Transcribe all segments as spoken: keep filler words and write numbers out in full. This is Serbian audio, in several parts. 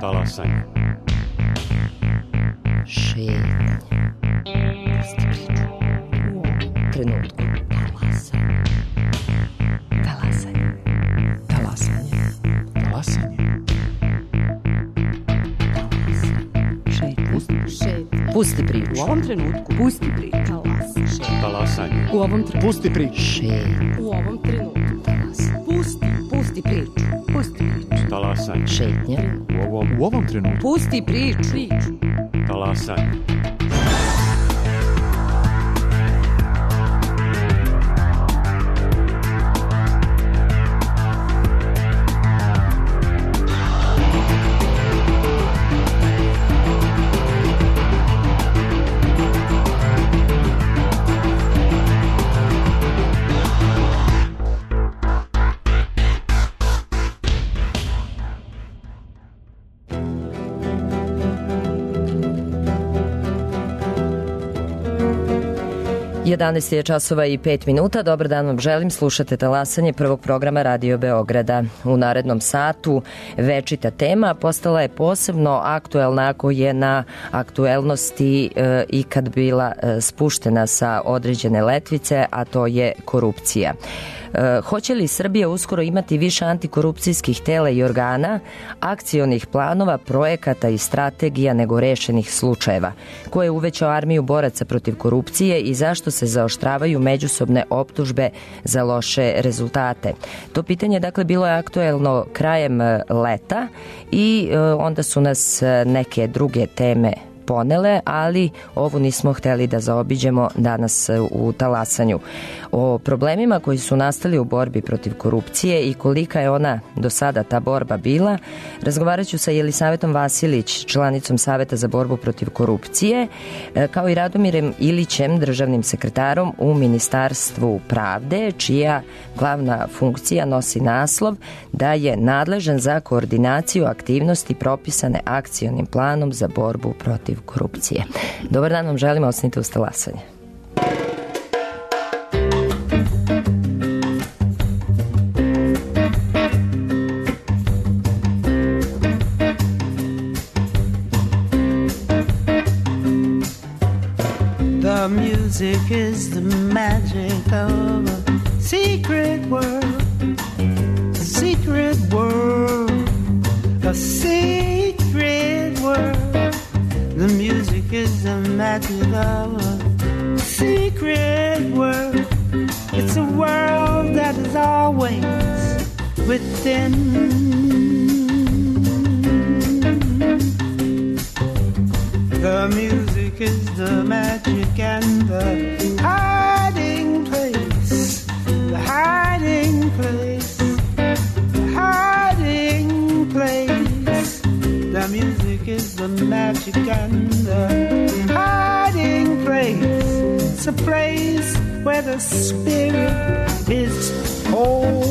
Talasanje. Šetnje. Pusti priču. U ovom trenutku. Talasanje. Talasanje. Talasanje. Talasanje. Šetnje. Šetnje. Pusti priču. U ovom trenutku. Pusti priču. Talasanje. Talasanje. U ovom trenutku. Pusti priču. Šetnje. U ovom trenutku. Talasanje. Pusti. Pusti priču. Pusti priču. Talasanje. Šetnje. U ovom, u ovom trenutku. Pusti priču. Priču. Talasanje. jedanaest je časova i pet minuta. Dobar dan vam želim. Slušate Talasanje prvog programa Radio Beograda. U narednom satu večita tema postala je posebno aktuelna ako je na aktuelnosti e, ikad bila e, spuštena sa određene letvice, a to je korupcija. E, hoće li Srbija uskoro imati više antikorupcijskih tela i organa, akcionih planova, projekata i strategija nego rešenih slučajeva? Ko je uvećao armiju boraca protiv korupcije i zašto se zaoštravaju međusobne optužbe za loše rezultate? To pitanje dakle bilo je aktuelno krajem leta i e, onda su nas neke druge teme ponele, ali ovu nismo hteli da zaobiđemo danas u Talasanju. O problemima koji su nastali u borbi protiv korupcije i kolika je ona do sada ta borba bila, razgovarat ću sa Jelisavetom Vasilić, članicom Saveta za borbu protiv korupcije, kao i Radomirem Ilićem, državnim sekretarom u Ministarstvu pravde, čija glavna funkcija nosi naslov da je nadležan za koordinaciju aktivnosti propisane akcionim planom za borbu protiv korupcije. Dobar dan vam želim, ostanite uz Talasanje. The music is the magic of a secret world, a secret world, a secret world. The music is the magic of a secret world. It's a world that is always within. The music is the magic and the hiding place, the hiding place, the hiding place. The music is the magic and the hiding place. It's a place where the spirit is home.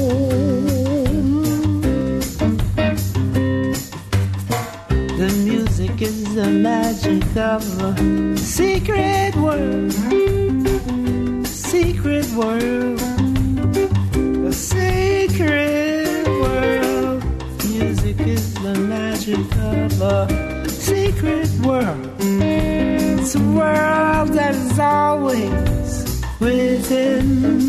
The music is the magic of a secret world, secret world, a secret world. Music is the magic of a secret world. It's a world that is always within.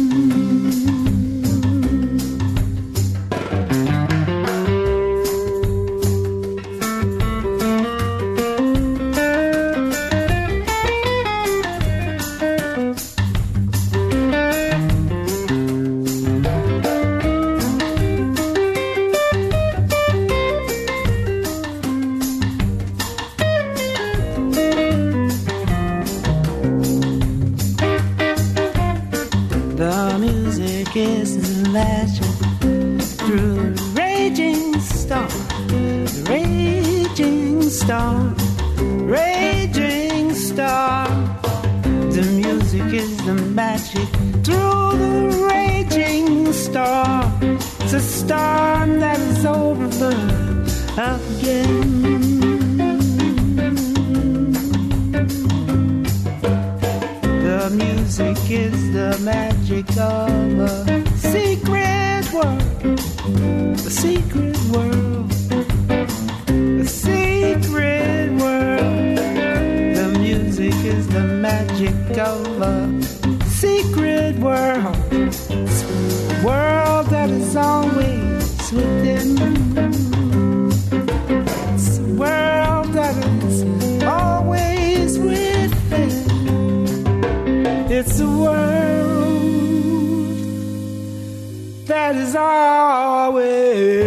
Is the legend through a raging storm, raging storm, raging storm. The music is the magic through the raging storm. It's a storm that is over again. The music is the magic of a secret world, a secret world, a secret It's a world that is always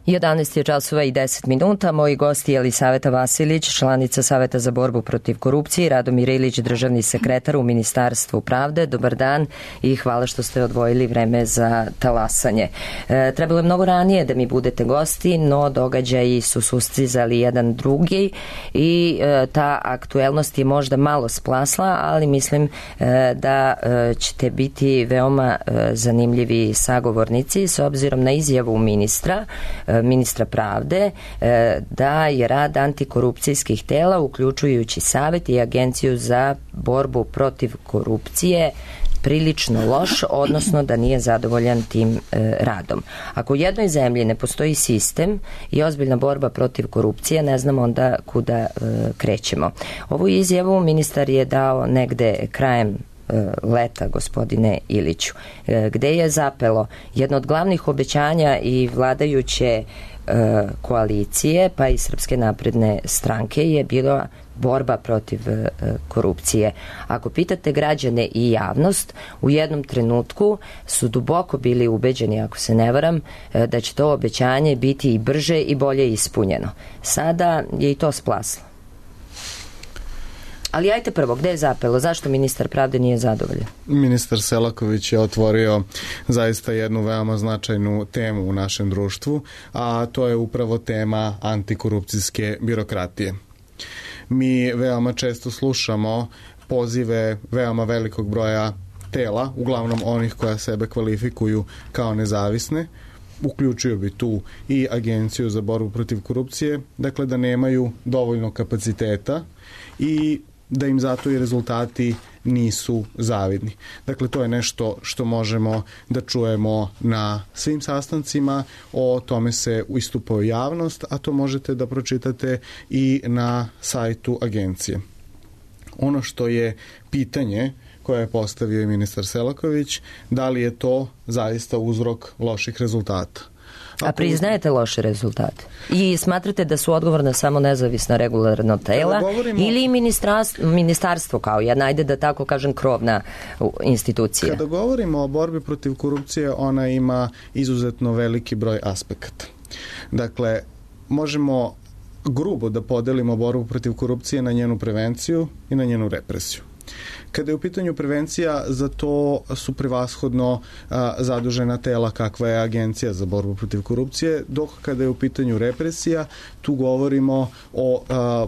jedanaest je časova i deset minuta. Moji gosti je Jelisaveta Vasilić, članica Saveta za borbu protiv korupcije, i Radomir Ilić, državni sekretar u Ministarstvu pravde. Dobar dan i hvala što ste odvojili vreme za talasanje. E, trebalo je mnogo ranije da mi budete gosti, no događaji su sustizali jedan drugi i e, ta aktuelnost je možda malo splasla, ali mislim e, da e, ćete biti veoma e, zanimljivi sagovornici s obzirom na izjavu ministra e, ministra pravde da je rad antikorupcijskih tela, uključujući Savet i Agenciju za borbu protiv korupcije, prilično loš, odnosno da nije zadovoljan tim e, radom. Ako u jednoj zemlji ne postoji sistem i ozbiljna borba protiv korupcije, ne znam onda kuda e, krećemo. Ovu izjavu ministar je dao negde krajem leta, gospodine Iliću, gde je zapelo jedno od glavnih obećanja i vladajuće koalicije, pa i Srpske napredne stranke, je bila borba protiv korupcije. Ako pitate građane i javnost, u jednom trenutku su duboko bili ubeđeni, ako se ne varam, da će to obećanje biti i brže i bolje ispunjeno. Sada je i to splaslo. Ali ajte prvo, gde je zapelo? Zašto ministar pravde nije zadovoljan? Ministar Selaković je otvorio zaista jednu veoma značajnu temu u našem društvu, a to je upravo tema antikorupcijske birokratije. Mi veoma često slušamo pozive veoma velikog broja tela, uglavnom onih koja sebe kvalifikuju kao nezavisne, uključio bi tu i Agenciju za borbu protiv korupcije, dakle da nemaju dovoljno kapaciteta i da im zato i rezultati nisu zavidni. Dakle, to je nešto što možemo da čujemo na svim sastancima, o tome se istupa u javnost, a to možete da pročitate i na sajtu agencije. Ono što je pitanje koje je postavio i ministar Selaković, da li je to zaista uzrok loših rezultata? A priznajete loše rezultate? I smatrate da su odgovorna samo nezavisna regularna tela govorimo, ili ministarstvo, ministarstvo kao jedna, ajde da tako kažem, krovna institucija? Kada govorimo o borbi protiv korupcije, ona ima izuzetno veliki broj aspekata. Dakle, možemo grubo da podelimo borbu protiv korupcije na njenu prevenciju i na njenu represiju. Kada je u pitanju prevencija, za to su prevashodno a, zadužena tela kakva je Agencija za borbu protiv korupcije, dok kada je u pitanju represija, tu govorimo o a,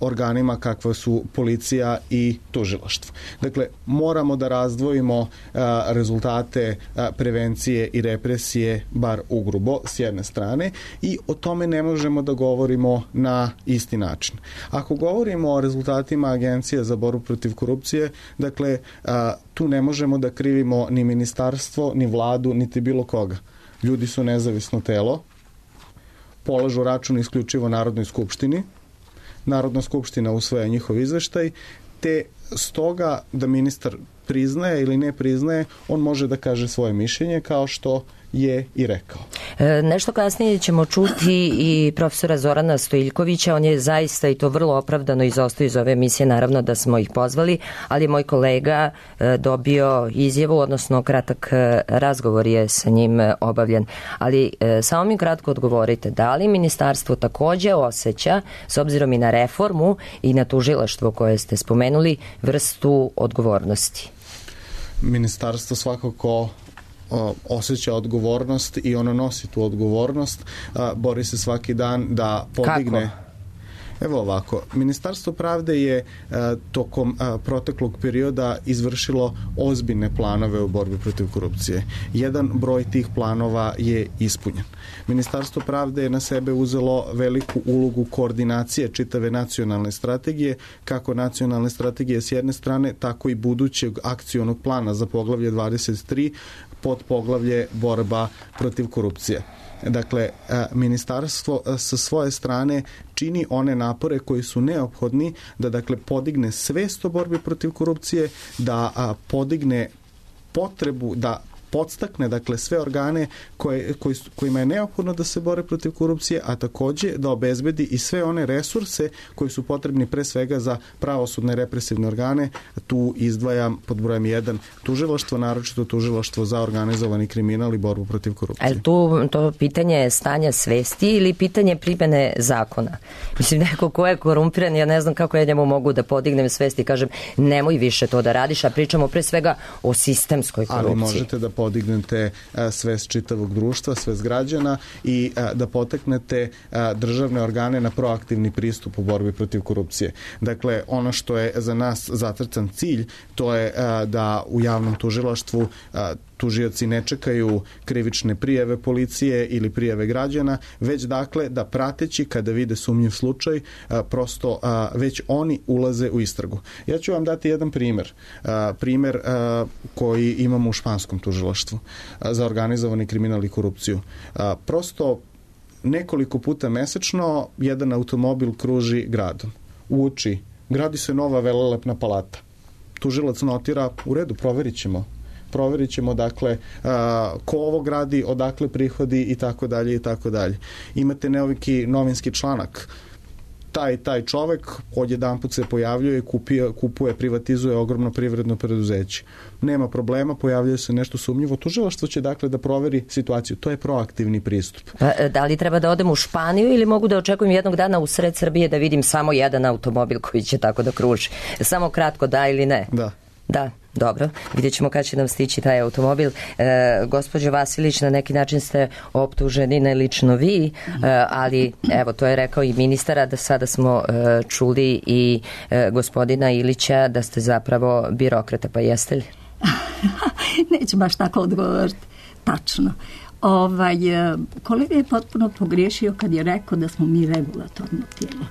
organima kakva su policija i tužilaštvo. Dakle, moramo da razdvojimo a, rezultate a, prevencije i represije bar ugrubo s jedne strane i o tome ne možemo da govorimo na isti način. Ako govorimo o rezultatima Agencije za borbu protiv korupcije, dakle, a, tu ne možemo da krivimo ni ministarstvo, ni vladu, niti bilo koga. Ljudi su nezavisno telo, polažu račun isključivo Narodnoj skupštini, Narodna skupština usvaja njihov izveštaj, te stoga da ministar priznaje ili ne priznaje, on može da kaže svoje mišljenje kao što je i rekao. E, nešto kasnije ćemo čuti i profesora Zorana Stojiljkovića, on je zaista i to vrlo opravdano izostao iz ove emisije, naravno da smo ih pozvali, ali moj kolega e, dobio izjavu, odnosno kratak e, razgovor je sa njim e, obavljen. Ali e, samo mi kratko odgovorite, da li ministarstvo takođe osjeća, s obzirom i na reformu i na tužilaštvo koje ste spomenuli, vrstu odgovornosti? Ministarstvo svakako osjeća odgovornost i ono nosi tu odgovornost, bori se svaki dan da podigne. Kako? Evo ovako, Ministarstvo pravde je a, tokom a, proteklog perioda izvršilo ozbiljne planove u borbi protiv korupcije. Jedan broj tih planova je ispunjen. Ministarstvo pravde je na sebe uzelo veliku ulogu koordinacije čitave nacionalne strategije, kako nacionalne strategije s jedne strane, tako i budućeg akcionog plana za poglavlje dvadeset tri pod poglavlje borba protiv korupcije. Dakle, ministarstvo sa svoje strane čini one napore koji su neophodni da dakle podigne svest o borbi protiv korupcije, da podigne potrebu da podstakne dakle sve organe koje, koji, kojima je neophodno da se bore protiv korupcije, a takođe da obezbedi i sve one resurse koji su potrebni pre svega za pravosudne represivne organe. Tu izdvajam pod brojem jedan tužilaštvo, naročito tužilaštvo za organizovani kriminal i borbu protiv korupcije. Ali tu to pitanje stanja svesti ili pitanje primene zakona? Mislim, neko ko je korumpiran, ja ne znam kako ja njemu mogu da podignem svest i kažem nemoj više to da radiš, a pričamo pre svega o sistemskoj korupciji. Ali možete da podignete svest čitavog društva, svest građana i da poteknete državne organe na proaktivni pristup u borbi protiv korupcije. Dakle, ono što je za nas zacrtan cilj, to je da u javnom tužilaštvu tužioci ne čekaju krivične prijave policije ili prijave građana, već dakle da prateći kada vide sumnjiv slučaj, prosto već oni ulaze u istragu. Ja ću vam dati jedan primer. Primer koji imamo u španskom tužilaštvu za organizovani kriminal i korupciju. Prosto nekoliko puta mesečno jedan automobil kruži gradom. Uoči, gradi se nova velelepna palata. Tužilac notira, u redu, proverit ćemo. Proverit ćemo, dakle, a, ko ovo gradi, odakle prihodi i tako dalje i tako dalje. Imate neki novinski članak. Taj, taj čovek odjedanput se pojavljuje, kupuje, kupuje, privatizuje ogromno privredno preduzeće. Nema problema, pojavljuje se nešto sumnjivo. Tužilaštvo će dakle da proveri situaciju. To je proaktivni pristup. Pa, da li treba da odem u Španiju ili mogu da očekujem jednog dana u sred Srbije da vidim samo jedan automobil koji će tako da kruži? Samo kratko, da ili ne? Da. Da, dobro. Vidjet ćemo kad će nam stići taj automobil. E, gospođo Vasilić, na neki način ste optuženi, ne lično vi, e, ali evo, to je rekao i ministara, da sada smo e, čuli i e, gospodina Ilića da ste zapravo birokrata, pa jeste li? Neću baš tako odgovoriti. Tačno. Ovaj, kolega je potpuno pogriješio kad je rekao da smo mi regulatorno tijelo.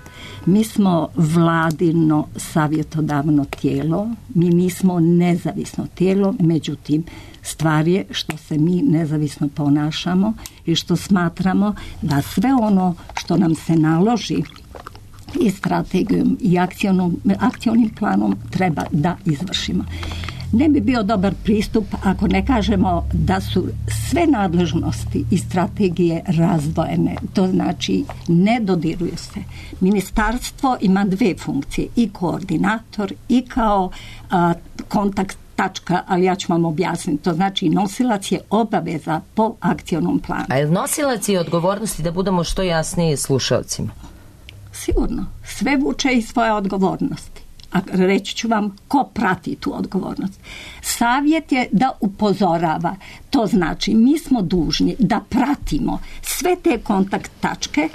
Mi smo vladino savjetodavno tijelo, mi nismo nezavisno tijelo, međutim, stvar je što se mi nezavisno ponašamo i što smatramo da sve ono što nam se naloži i strategijom i akcionom, akcionim planom treba da izvršimo. Ne bi bio dobar pristup ako ne kažemo da su sve nadležnosti i strategije razdvojene. To znači ne dodiruju se. Ministarstvo ima dve funkcije, i koordinator i kao a, kontakt tačka, ali ja ću vam objasniti. To znači nosilac je obaveza po akcionom planu. A je nosilac je odgovornosti, da budemo što jasniji slušalcima? Sigurno. Sve vuče i svoje odgovornosti. A reći ću vam ko prati tu odgovornost. Savjet je da upozorava. To znači mi smo dužni da pratimo sve te kontakt tačke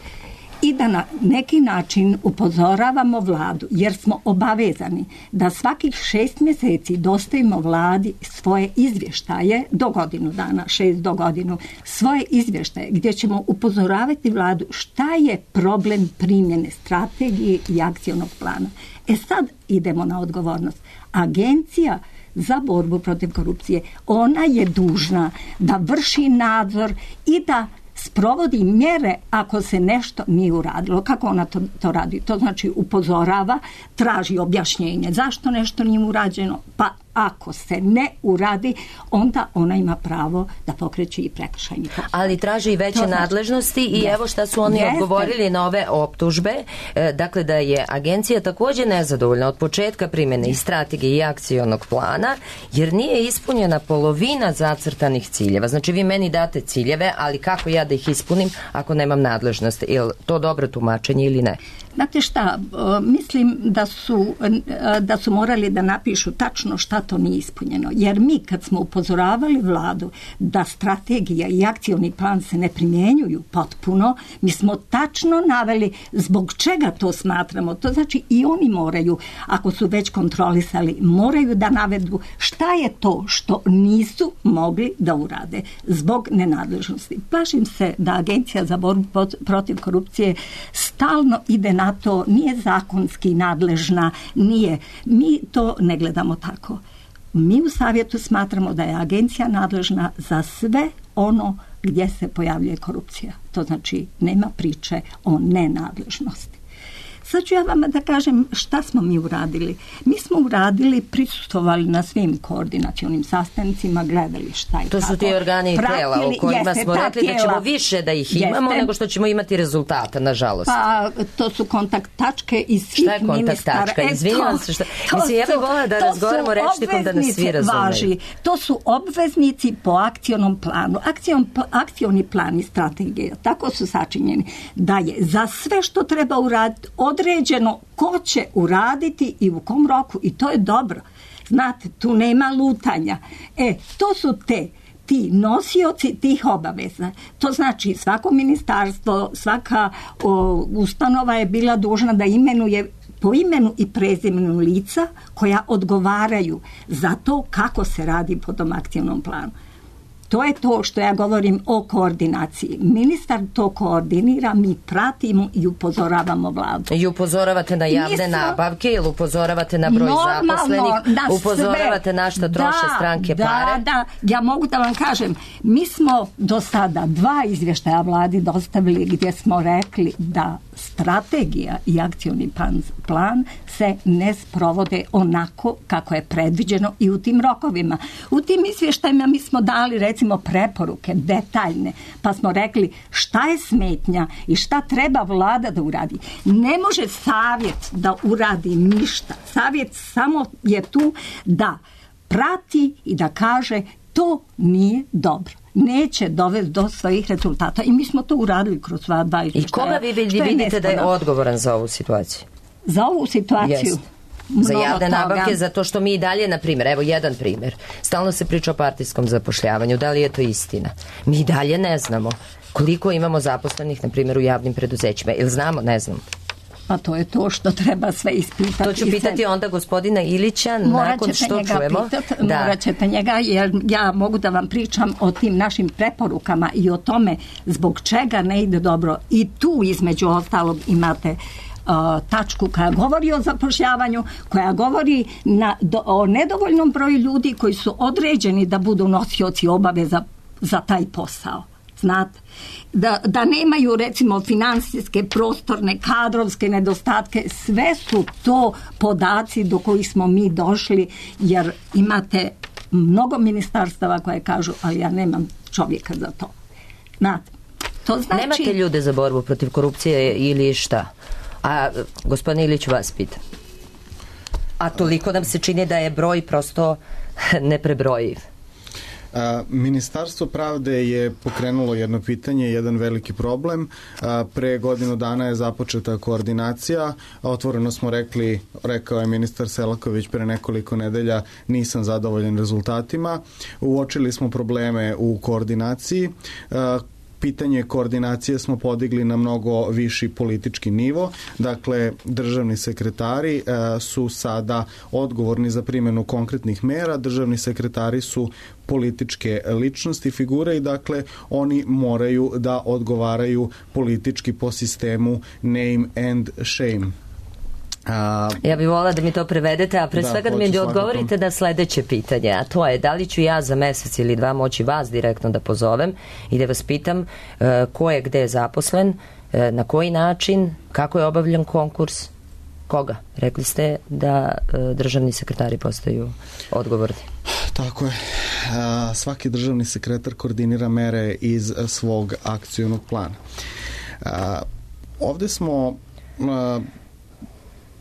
i da na neki način upozoravamo vladu, jer smo obavezani da svakih šest mjeseci dostavimo vladi svoje izvještaje do godinu dana, šest do godinu, svoje izvještaje gdje ćemo upozoravati vladu šta je problem primjene strategije i akcionog plana. E sad idemo na odgovornost. Agencija za borbu protiv korupcije, ona je dužna da vrši nadzor i da sprovodi mjere ako se nešto nije uradilo. Kako ona to, to radi? To znači upozorava, traži objašnjenje zašto nešto nije urađeno, pa ako se ne uradi, onda ona ima pravo da pokreće i prekršajni postupak. Ali traži i veće znači, nadležnosti i yes. evo šta su oni yes. odgovorili na ove optužbe. E, dakle, da je agencija također nezadovoljna od početka primjene i strategije i akcionog plana, jer nije ispunjena polovina zacrtanih ciljeva. Znači, vi meni date ciljeve, ali kako ja da ih ispunim ako nemam nadležnosti? Je li to dobro tumačenje ili ne? Znate šta, mislim da su, da su morali da napišu tačno šta to nije ispunjeno. Jer mi kad smo upozoravali vladu da strategija i akcioni plan se ne primjenjuju potpuno, mi smo tačno naveli zbog čega to smatramo. To znači i oni moraju, ako su već kontrolisali, moraju da navedu šta je to što nisu mogli da urade zbog nenadležnosti. Plašim se da Agencija za borbu protiv korupcije stalno ide na to, nije zakonski nadležna, nije. Mi to ne gledamo tako. Mi u savjetu smatramo da je agencija nadležna za sve ono gdje se pojavljuje korupcija. To znači nema priče o nenadležnosti. Sad ću ja vama da kažem šta smo mi uradili. Mi smo uradili, prisustvovali na svim koordinacionim sastancima, gledali šta je to tako. To su ti organi i tijela u kojima jeste, smo rekli tijela, da ćemo više da ih imamo jeste, nego što ćemo imati rezultata, nažalost. Pa to su kontakt tačke iz svih ministara. Šta je kontakt tačka? Izvinjavam se što... To, mislim, ja bih volila da razgovaramo rečnikom da nas svi razumeju. Važi. To su obveznici po akcionom planu. Akcion, akcioni plan i strategija, tako su sačinjeni, da je za sve što treba uraditi određeno ko će uraditi i u kom roku, i to je dobro. Znate, tu nema lutanja. E, to su te ti nosioci tih obaveza. To znači svako ministarstvo, svaka o, ustanova je bila dužna da imenuje po imenu i prezimenu lica koja odgovaraju za to kako se radi po tom aktivnom planu. To je to što ja govorim o koordinaciji. Ministar to koordinira, mi pratimo i upozoravamo vladu. I upozoravate na javne smo, nabavke ili upozoravate na broj zaposlenih, na upozoravate sve. na što troše da, stranke da, pare? Da, ja mogu da vam kažem, mi smo do sada dva izvještaja vladi dostavili gdje smo rekli da strategija i akcioni plan, plan se ne sprovode onako kako je predviđeno i u tim rokovima. U tim izvještajima mi smo dali recimo preporuke detaljne, pa smo rekli šta je smetnja i šta treba vlada da uradi. Ne može savjet da uradi ništa. Savjet samo je tu da prati i da kaže to nije dobro. Neće dovesti do svojih rezultata. I mi smo to uradili kroz sva dva izvještaja. I koga vi vidite da je odgovoran za ovu situaciju? Za ovu situaciju? Jest. Za javne nabavke, zato što mi i dalje, na primjer, evo jedan primjer, stalno se priča o partijskom zapošljavanju, da li je to istina? Mi i dalje ne znamo koliko imamo zaposlenih, na primjer, u javnim preduzećima. Ili znamo? Ne znam. Pa to je to što treba sve ispitati. To ću pitati onda gospodina Ilića nakon što čujemo. Pitat, da. Morat ćete njega, jer ja mogu da vam pričam o tim našim preporukama i o tome zbog čega ne ide dobro. I tu između ostalog imate uh, tačku koja govori o zapošljavanju, koja govori na, do, o nedovoljnom broju ljudi koji su određeni da budu nosioci obaveza za taj posao. Znate, da, da nemaju recimo financijske, prostorne, kadrovske nedostatke, sve su to podaci do kojih smo mi došli, jer imate mnogo ministarstava koje kažu, ali ja nemam čovjeka za to. Znate, to znači... Nemate ljude za borbu protiv korupcije ili šta? A gospodin Ilić vas pita. A toliko nam se čini da je broj prosto neprebrojiv. Ministarstvo pravde je pokrenulo jedno pitanje, jedan veliki problem. Pre godinu dana je započeta koordinacija. Otvoreno smo rekli, rekao je ministar Selaković pre nekoliko nedelja, nisam zadovoljan rezultatima. Uočili smo probleme u koordinaciji. Pitanje koordinacije smo podigli na mnogo viši politički nivo. Dakle, državni sekretari e, su sada odgovorni za primjenu konkretnih mera. Državni sekretari su političke ličnosti, figure i dakle oni moraju da odgovaraju politički po sistemu name and shame. A, ja bih volila da mi to prevedete, a pre da, svega da mi odgovorite na sledeće pitanje, a to je da li ću ja za mesec ili dva moći vas direktno da pozovem i da vas pitam uh, ko je gde zaposlen, uh, na koji način, kako je obavljen konkurs, koga? Rekli ste da uh, državni sekretari postaju odgovorni. Tako je. A, svaki državni sekretar koordinira mere iz svog akcionog plana. A, ovde smo... A,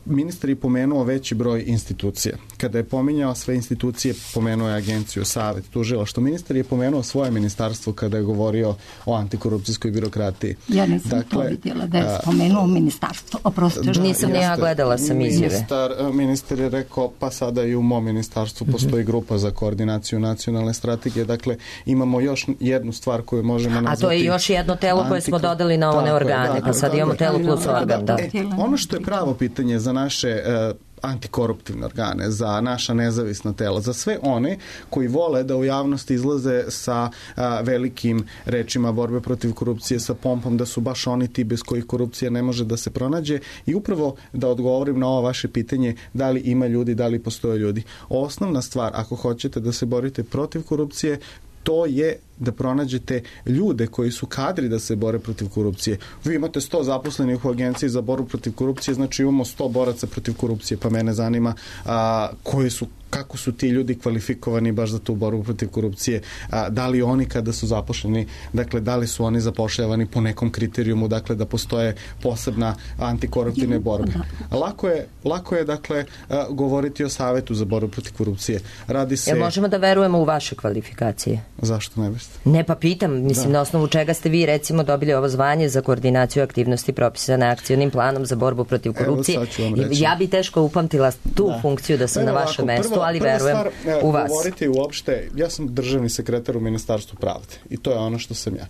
ministar je pomenuo veći broj institucija. Kada je pominjao sve institucije, pomenuo je agenciju, savet, tužilaštvo. Ministar je pomenuo svoje ministarstvo kada je govorio o antikorupcijskoj birokratiji. Ja nisam dakle, to vidjela da je spomenuo ministarstvo. Oprostite. Da, nisam ni ja gledala sam izjave. Ministar, ministar je rekao, pa sada i u mom ministarstvu postoji grupa za koordinaciju nacionalne strategije. Dakle, imamo još jednu stvar koju možemo nazvati... A to je još jedno telo koje smo dodali na one organe, pa sad imamo telo plus organ. Da. E, ono što je pravo pitanje za naše uh, antikoruptivne organe, za naša nezavisna tela, za sve one koji vole da u javnosti izlaze sa a, velikim rečima borbe protiv korupcije, sa pompom da su baš oni ti bez kojih korupcija ne može da se pronađe i upravo da odgovorim na ovo vaše pitanje da li ima ljudi, da li postoje ljudi. Osnovna stvar, ako hoćete da se borite protiv korupcije, to je da pronađete ljude koji su kadri da se bore protiv korupcije. Vi imate sto zaposlenih u agenciji za borbu protiv korupcije, znači imamo sto boraca protiv korupcije, pa mene zanima a, koji su kako su ti ljudi kvalifikovani baš za tu borbu protiv korupcije, a, da li oni kada su zaposleni, dakle da li su oni zapošljavani po nekom kriterijumu, dakle da postoje posebna antikoruptivne borbe. Lako je, lako je dakle a, govoriti o savetu za borbu protiv korupcije. Radi se... Jel možemo da verujemo u vaše kvalifikacije? Zašto ne biste? Ne, pa pitam, mislim da. Na osnovu čega ste vi recimo dobili ovo zvanje za koordinaciju aktivnosti propisane akcionim planom za borbu protiv korupcije. Evo, ja bi teško upamtila tu da. funkciju da sam ne, na vašem ovako, mestu, prvo, ali verujem stvar, u vas. Govoriti uopšte, ja sam državni sekretar u Ministarstvu pravde i to je ono što sam ja.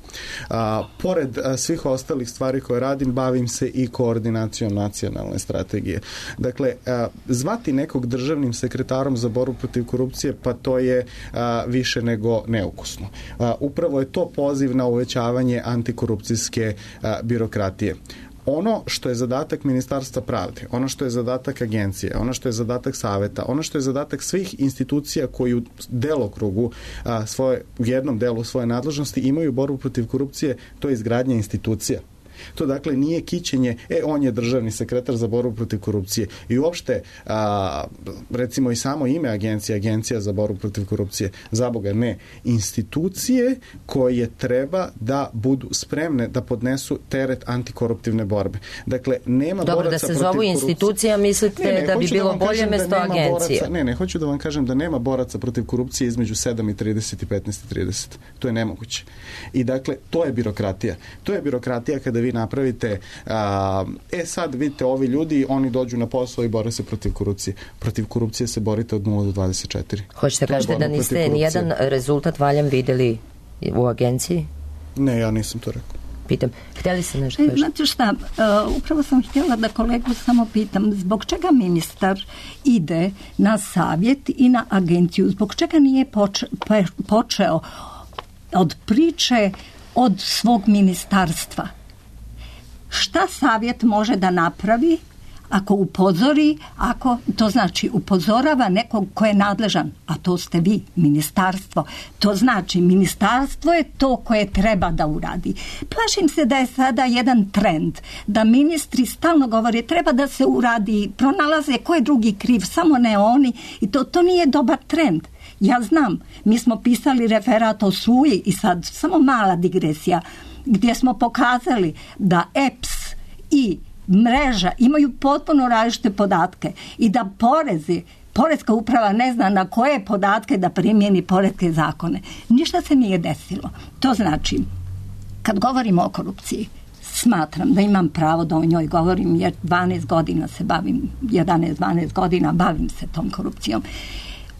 A, pored a, svih ostalih stvari koje radim, bavim se i koordinacijom nacionalne strategije. Dakle, a, zvati nekog državnim sekretarom za borbu protiv korupcije, pa to je a, više nego neukusno. A, upravo je to poziv na uvećavanje antikorupcijske a, birokratije. Ono što je zadatak Ministarstva pravde, ono što je zadatak agencije, ono što je zadatak saveta, ono što je zadatak svih institucija koji u delokrugu a, svoje, u jednom delu svoje nadležnosti imaju borbu protiv korupcije, to je izgradnja institucija. To dakle nije kićenje, e on je državni sekretar za borbu protiv korupcije i uopšte a, recimo i samo ime agencije, agencija za borbu protiv korupcije, za Boga ne, institucije koje treba da budu spremne da podnesu teret antikoruptivne borbe. Dakle, nema Dobro, boraca protiv korupcije. Dobro, da se zovu institucija, mislite ne, ne, da bi bilo da bolje mesto da agencije? Boraca, ne, ne, hoću da vam kažem da nema boraca protiv korupcije između sedam i trideset i petnaest i trideset. To je nemoguće. I dakle, to je birokratija. To je birokratija kada vi napravite, a, e sad vidite ovi ljudi, oni dođu na posao i bore se protiv korupcije. Protiv korupcije se borite od nula do dvadeset četiri. Hoćete kažete da niste nijedan rezultat valjan videli u agenciji? Ne, ja nisam to rekao. Pitam, htjeli se nešto e, znate šta, uh, upravo sam htjela da kolegu samo pitam, zbog čega ministar ide na savjet i na agenciju, zbog čega nije poč, pe, počeo od priče od svog ministarstva? Šta savjet može da napravi ako upozori, ako to znači upozorava nekog ko je nadležan, a to ste vi, ministarstvo. To znači ministarstvo je to koje treba da uradi. Plašim se da je sada jedan trend, da ministri stalno govore treba da se uradi, pronalaze ko je drugi kriv, samo ne oni i to, to nije dobar trend. Ja znam, mi smo pisali referat o Suji i sad samo mala digresija, gdje smo pokazali da E P S i mreža imaju potpuno različite podatke i da porezi, poreska uprava ne zna na koje podatke da primjeni poreske zakone. Ništa se nije desilo. To znači, kad govorimo o korupciji, smatram da imam pravo da o njoj govorim jer dvanaest godina se bavim, jedanaest dvanaest godina bavim se tom korupcijom.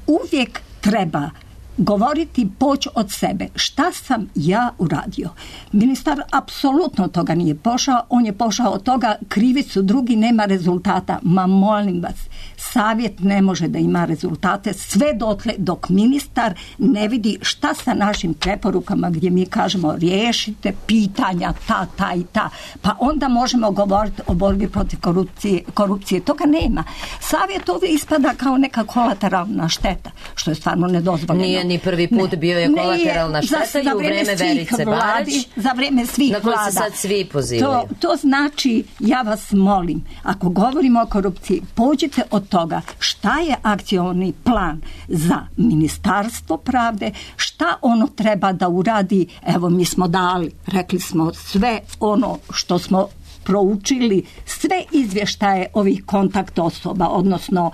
Uvijek treba govoriti, poći od sebe. Šta sam ja uradio? Ministar apsolutno toga nije pošao. On je pošao od toga, krivi su drugi, nema rezultata. Ma molim vas, savjet ne može da ima rezultate sve dotle dok ministar ne vidi šta sa našim preporukama gdje mi kažemo riješite pitanja ta, ta i ta. Pa onda možemo govoriti o borbi protiv korupcije. korupcije. Toga nema. Savjet ovdje ispada kao neka kolateralna šteta, što je stvarno nedozvoljeno. Nije ni prvi put ne, bio je kolateralna šteta za, i u vreme Verice Barać, za vreme svih na koje vlada. se sad svi pozivaju. To, to znači, ja vas molim, ako govorimo o korupciji, pođite od toga šta je akcioni plan za Ministarstvo pravde, šta ono treba da uradi. Evo, mi smo dali, rekli smo sve ono što smo proučili sve izvještaje ovih kontakt osoba, odnosno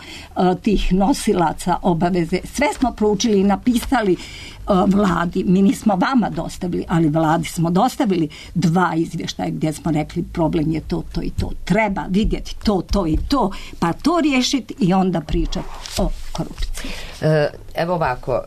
tih nosilaca obaveze. Sve smo proučili i napisali vladi. Mi nismo vama dostavili, ali vladi smo dostavili dva izvještaja gdje smo rekli problem je to, to i to. Treba vidjeti to, to i to, pa to riješiti i onda pričati o korupciji. Evo ovako,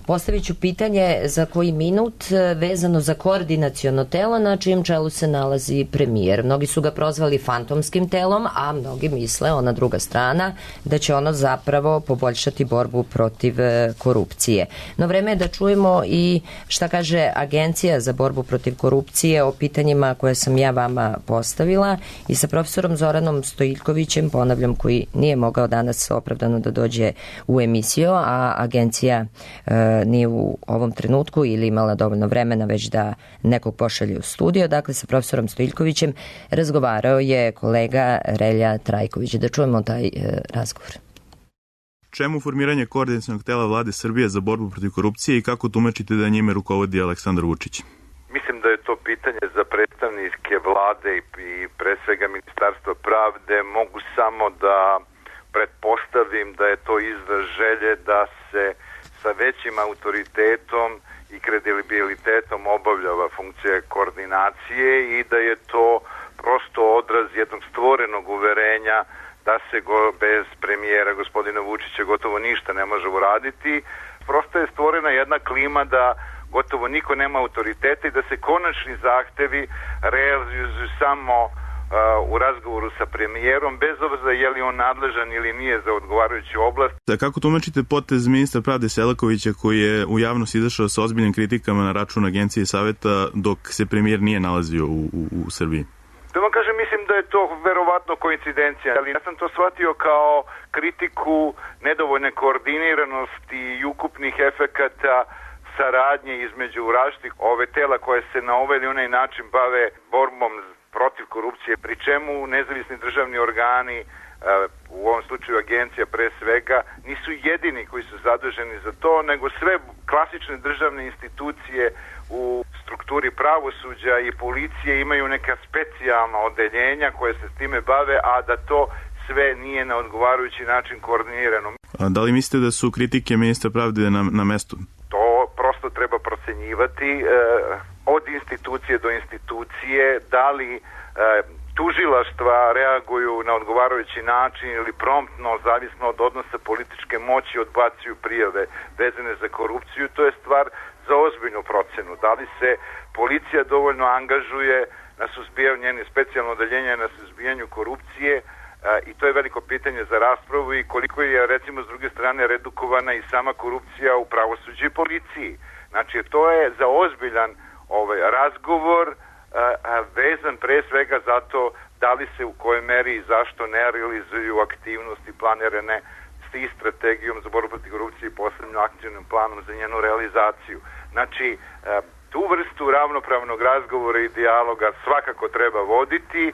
postavit ću pitanje za koji minut vezano za koordinaciono telo na čijem čelu se nalazi premijer. Mnogi su ga prozvali fantomskim telom, a mnogi misle, ona druga strana, da će ono zapravo poboljšati borbu protiv korupcije. No vreme je da čujemo i šta kaže Agencija za borbu protiv korupcije o pitanjima koje sam ja vama postavila i sa profesorom Zoranom Stojiljkovićem, ponavljam, koji nije mogao danas opravdano da dođe u emisiju, a agencija e, nije u ovom trenutku ili imala dovoljno vremena već da nekog pošalje u studio. Dakle, sa profesorom Stojiljkovićem razgovarao je kolega Relja Trajković. Da čujemo taj e, razgovor. Čemu formiranje koordinacionog tela vlade Srbije za borbu protiv korupcije i kako tumačite da njime rukovodi Aleksandar Vučić? Mislim da je to pitanje za predstavnike vlade i pre svega Ministarstva pravde. Mogu samo da pretpostavim da je to izraz želje da se sa većim autoritetom i kredibilitetom obavljava funkcija koordinacije i da je to prosto odraz jednog stvorenog uverenja da se go, bez premijera gospodina Vučića gotovo ništa ne može uraditi. Prosto je stvorena jedna klima da gotovo niko nema autoriteta i da se konačni zahtevi realizuju samo u razgovoru sa premijerom, bez obzira je li on nadležan ili nije za odgovarajuću oblast. Da, kako tumačite potez ministra pravde Selakovića koji je u javnost izašao sa ozbiljnim kritikama na račun Agencije i saveta dok se premijer nije nalazio u, u, u Srbiji? Da vam kažem, mislim da je to verovatno koincidencija, ali ja sam to shvatio kao kritiku nedovoljne koordiniranosti i ukupnih efekata saradnje između različitih ove tela koje se na ovaj ili onaj način bave borbom protiv korupcije, pri čemu nezavisni državni organi, u ovom slučaju agencija pre svega, nisu jedini koji su zaduženi za to, nego sve klasične državne institucije u strukturi pravosuđa i policije imaju neka specijalna odeljenja koje se s time bave, a da to sve nije na odgovarajući način koordinirano. A da li mislite da su kritike ministra pravde na, na mestu? To prosto treba procenjivati e, od institucije do institucije, da li e, tužilaštva reaguju na odgovarajući način ili promptno, zavisno od odnosa političke moći, odbacuju prijave vezane za korupciju. To je stvar za ozbiljnu procenu. Da li se policija dovoljno angažuje na suzbijanju, njene specijalno odeljenje na suzbijanju korupcije, i to je veliko pitanje za raspravu, i koliko je, recimo, s druge strane redukovana i sama korupcija u pravosuđu i policiji. Znači, to je za ozbiljan ovaj razgovor a, a, vezan pre svega zato da li se u kojoj meri i zašto ne realizuju aktivnosti planirane s strategijom za borbu protiv korupcije i posebnim akcijnim planom za njenu realizaciju. Znači, a, tu vrstu ravnopravnog razgovora i dijaloga svakako treba voditi,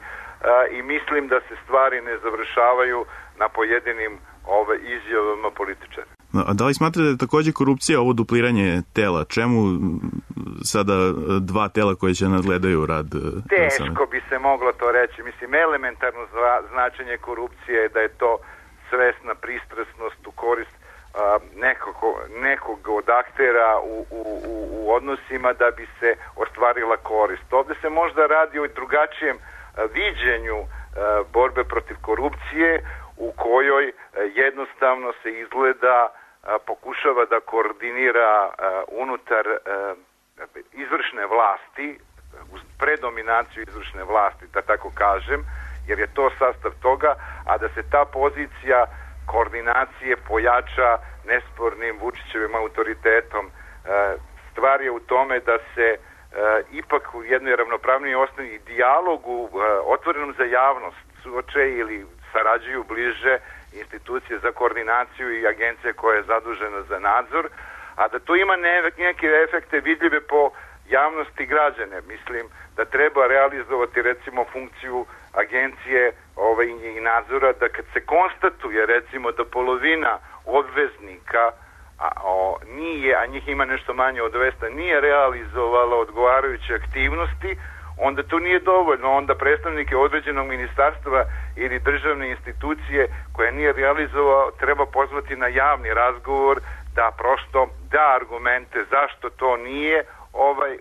i mislim da se stvari ne završavaju na pojedinim ove izjavama političara. A da li smatrate da je takođe korupcija ovo dupliranje tela? Čemu sada dva tela koje će nadgledaju rad? Teško bi se moglo to reći. Mislim, elementarno značenje korupcije je da je to svesna pristrasnost u korist a, nekog, nekog od aktera u, u, u odnosima da bi se ostvarila korist. Ovde se možda radi o drugačijem viđenju e, borbe protiv korupcije u kojoj e, jednostavno se izgleda e, pokušava da koordinira e, unutar e, izvršne vlasti, uz predominaciju izvršne vlasti, da tako kažem, jer je to sastav toga, a da se ta pozicija koordinacije pojača nespornim Vučićevim autoritetom. E, stvar je u tome da se E, ipak u jednoj ravnopravnoj osnovi i dijalogu e, otvorenom za javnost suoče ili sarađuju bliže institucije za koordinaciju i agencija koja je zadužena za nadzor, a da to ima ne, neke efekte vidljive po javnosti građane. Mislim da treba realizovati recimo funkciju agencije ovaj, i nadzora, da kad se konstatuje recimo da polovina obveznika a o, nije, a njih ima nešto manje od dvesta, nije realizovala odgovarajuće aktivnosti, onda to nije dovoljno. Onda predstavnike određenog ministarstva ili državne institucije koje nije realizovao treba pozvati na javni razgovor da prosto da argumente zašto to nije ovaj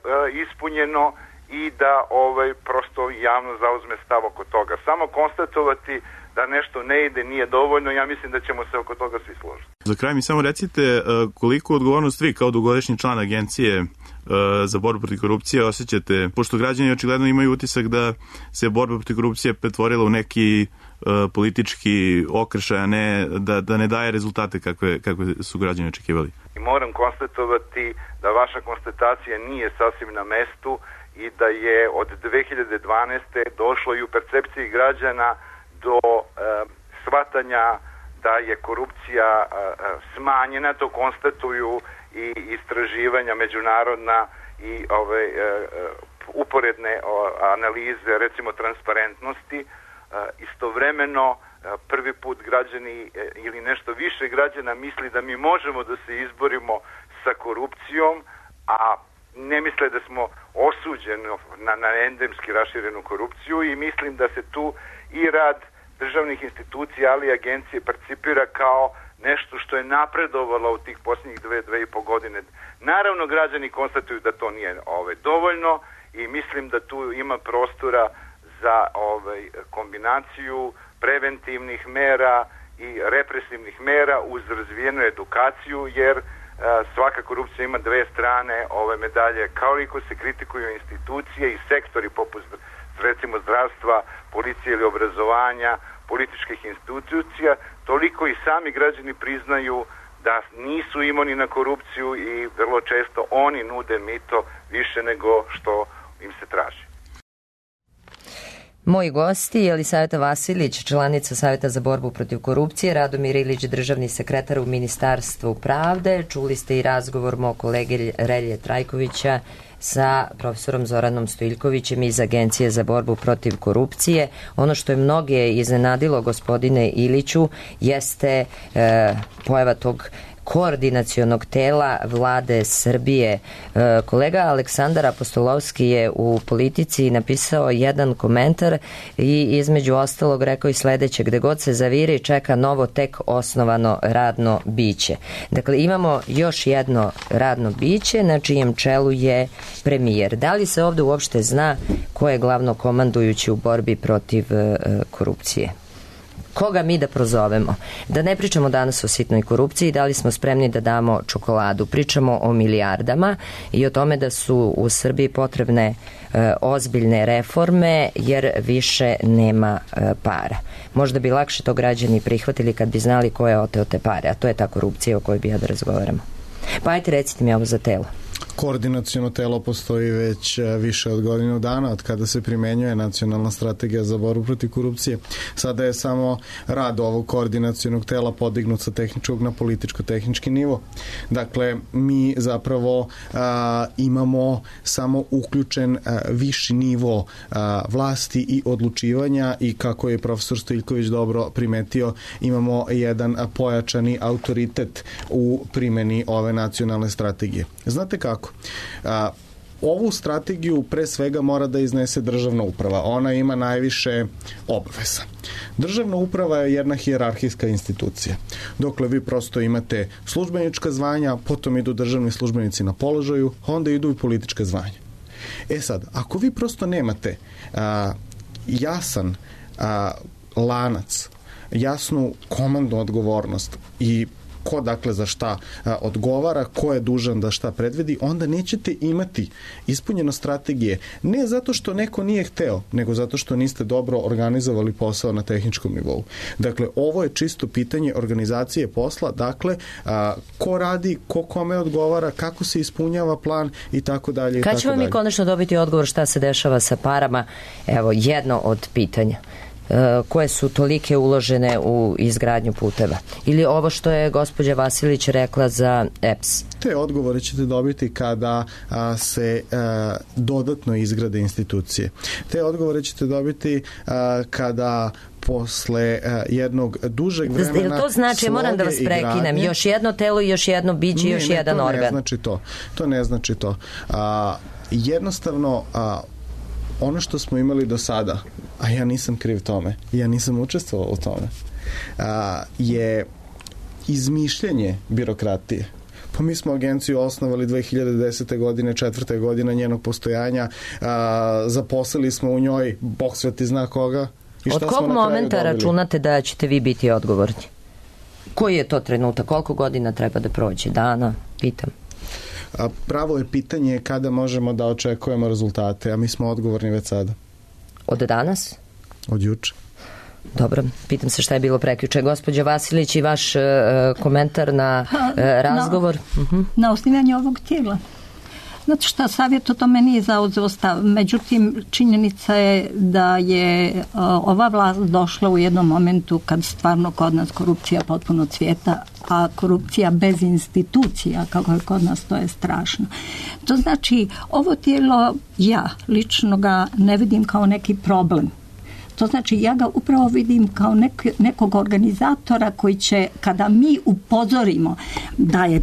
ispunjeno i da ovaj prosto javno zauzme stav oko toga. Samo konstatovati da nešto ne ide nije dovoljno, ja mislim da ćemo se oko toga svi složiti. Za kraj mi samo recite koliko odgovornost vi kao dugogodišnji član agencije za borbu protiv korupcije osjećate, pošto građani očigledno imaju utisak da se borba protiv korupcije pretvorila u neki politički okršaj, a ne da, da ne daje rezultate kakve, kakve su građani očekivali. I moram konstatovati da vaša konstatacija nije sasvim na mestu i da je od dve hiljade dvanaeste došlo i u percepciji građana do e, shvatanja da je korupcija e, smanjena, to konstatuju i istraživanja međunarodna i ove e, uporedne o, analize, recimo transparentnosti. E, istovremeno e, prvi put građani e, ili nešto više građana misli da mi možemo da se izborimo sa korupcijom, a ne misle da smo osuđeni na, na endemski raširenu korupciju i mislim da se tu i rad državnih institucija, ali i agencije percipira kao nešto što je napredovalo u tih posljednjih dve, dve i po godine. Naravno, građani konstatuju da to nije ovaj, dovoljno i mislim da tu ima prostora za ovaj, kombinaciju preventivnih mera i represivnih mera uz razvijenu edukaciju, jer svaka korupcija ima dve strane ove medalje. Kao i ko se kritikuju institucije i sektori poput recimo zdravstva, policije ili obrazovanja, političkih institucija, toliko i sami građani priznaju da nisu imuni na korupciju i vrlo često oni nude mito više nego što im se traži. Moji gosti je Jelisaveta Vasilić, članica Saveta za borbu protiv korupcije, Radomir Ilić, državni sekretar u Ministarstvu pravde. Čuli ste i razgovor mog kolege Relje Trajkovića sa profesorom Zoranom Stojiljkovićem iz Agencije za borbu protiv korupcije. Ono što je mnoge iznenadilo, gospodine Iliću, jeste e, pojava tog koordinacionog tela vlade Srbije. Kolega Aleksandar Apostolovski je u Politici napisao jedan komentar i između ostalog rekao i sledeće: gde god se zaviri čeka novo tek osnovano radno biće. Dakle, imamo još jedno radno biće na čijem čelu je premijer. Da li se ovde uopšte zna ko je glavno komandujući u borbi protiv korupcije? Koga mi da prozovemo? Da ne pričamo danas o sitnoj korupciji, da li smo spremni da damo čokoladu. Pričamo o milijardama i o tome da su u Srbiji potrebne e, ozbiljne reforme jer više nema e, para. Možda bi lakše to građani prihvatili kad bi znali ko je oteo te pare, a to je ta korupcija o kojoj bi ja da razgovaramo. Pa ajte, recite mi ovo za telo. Koordinaciono telo postoji već više od godinu dana od kada se primenjuje nacionalna strategija za borbu protiv korupcije. Sada je samo rad ovog koordinacionog tela podignut sa tehničkog na političko-tehnički nivo. Dakle, mi zapravo a, imamo samo uključen a, viši nivo a, vlasti i odlučivanja i kako je profesor Stojiljković dobro primetio, imamo jedan a, pojačani autoritet u primeni ove nacionalne strategije. Znate kako? A, ovu strategiju pre svega mora da iznese državna uprava. Ona ima najviše obaveza. Državna uprava je jedna hijerarhijska institucija. Dokle vi prosto imate službenička zvanja, potom idu državni službenici na položaju, onda idu i politička zvanja. E sad, ako vi prosto nemate a, jasan a, lanac, jasnu komandnu odgovornost i ko dakle za šta a, odgovara, ko je dužan da šta predvedi, onda nećete imati ispunjeno strategije. Ne zato što neko nije hteo, nego zato što niste dobro organizovali posao na tehničkom nivou. Dakle, ovo je čisto pitanje organizacije posla, dakle, a, ko radi, ko kome odgovara, kako se ispunjava plan i tako dalje. Kad ćemo mi konačno dobiti odgovor šta se dešava sa parama? Evo, jedno od pitanja. Koje su tolike uložene u izgradnju puteva. Ili ovo što je gospođa Vasilić rekla za E P S. Te odgovore ćete dobiti kada a, se a, dodatno izgrade institucije. Te odgovore ćete dobiti a, kada posle uh, jednog dužeg vremena to znači, moram da vas prekinem, još jedno telo i još jedno biće i još ne, jedan organ. To ne znači to. To ne znači to. A, jednostavno a, ono što smo imali do sada, a ja nisam kriv tome, ja nisam učestvovao u tome, a, je izmišljenje birokratije. Pa mi smo agenciju osnovali dve hiljade desete. godine, četvrte godine njenog postojanja, a, zaposlili smo u njoj, Bog sveti zna koga. I šta Od kog momenta računate da ćete vi biti odgovorni? Koji je to trenutak? Koliko godina treba da prođe? Dana? Pitam. A pravo je pitanje kada možemo da očekujemo rezultate, a mi smo odgovorni već sada. Od danas? Od juče. Dobro, pitam se šta je bilo prekjuče. Gospođa Vasilić, i vaš uh, komentar na uh, razgovor? Na, uh-huh. na osnivanje ovog tijela. Znate šta, savjet o tome nije zauzeo stav. Međutim, činjenica je da je uh, ova vlast došla u jednom momentu kad stvarno kod nas korupcija potpuno cvijeta, a korupcija bez institucija, kako je kod nas, to je strašno. To znači, ovo tijelo, ja lično ga ne vidim kao neki problem. To znači, ja ga upravo vidim kao nek, nekog organizatora koji će, kada mi upozorimo da je,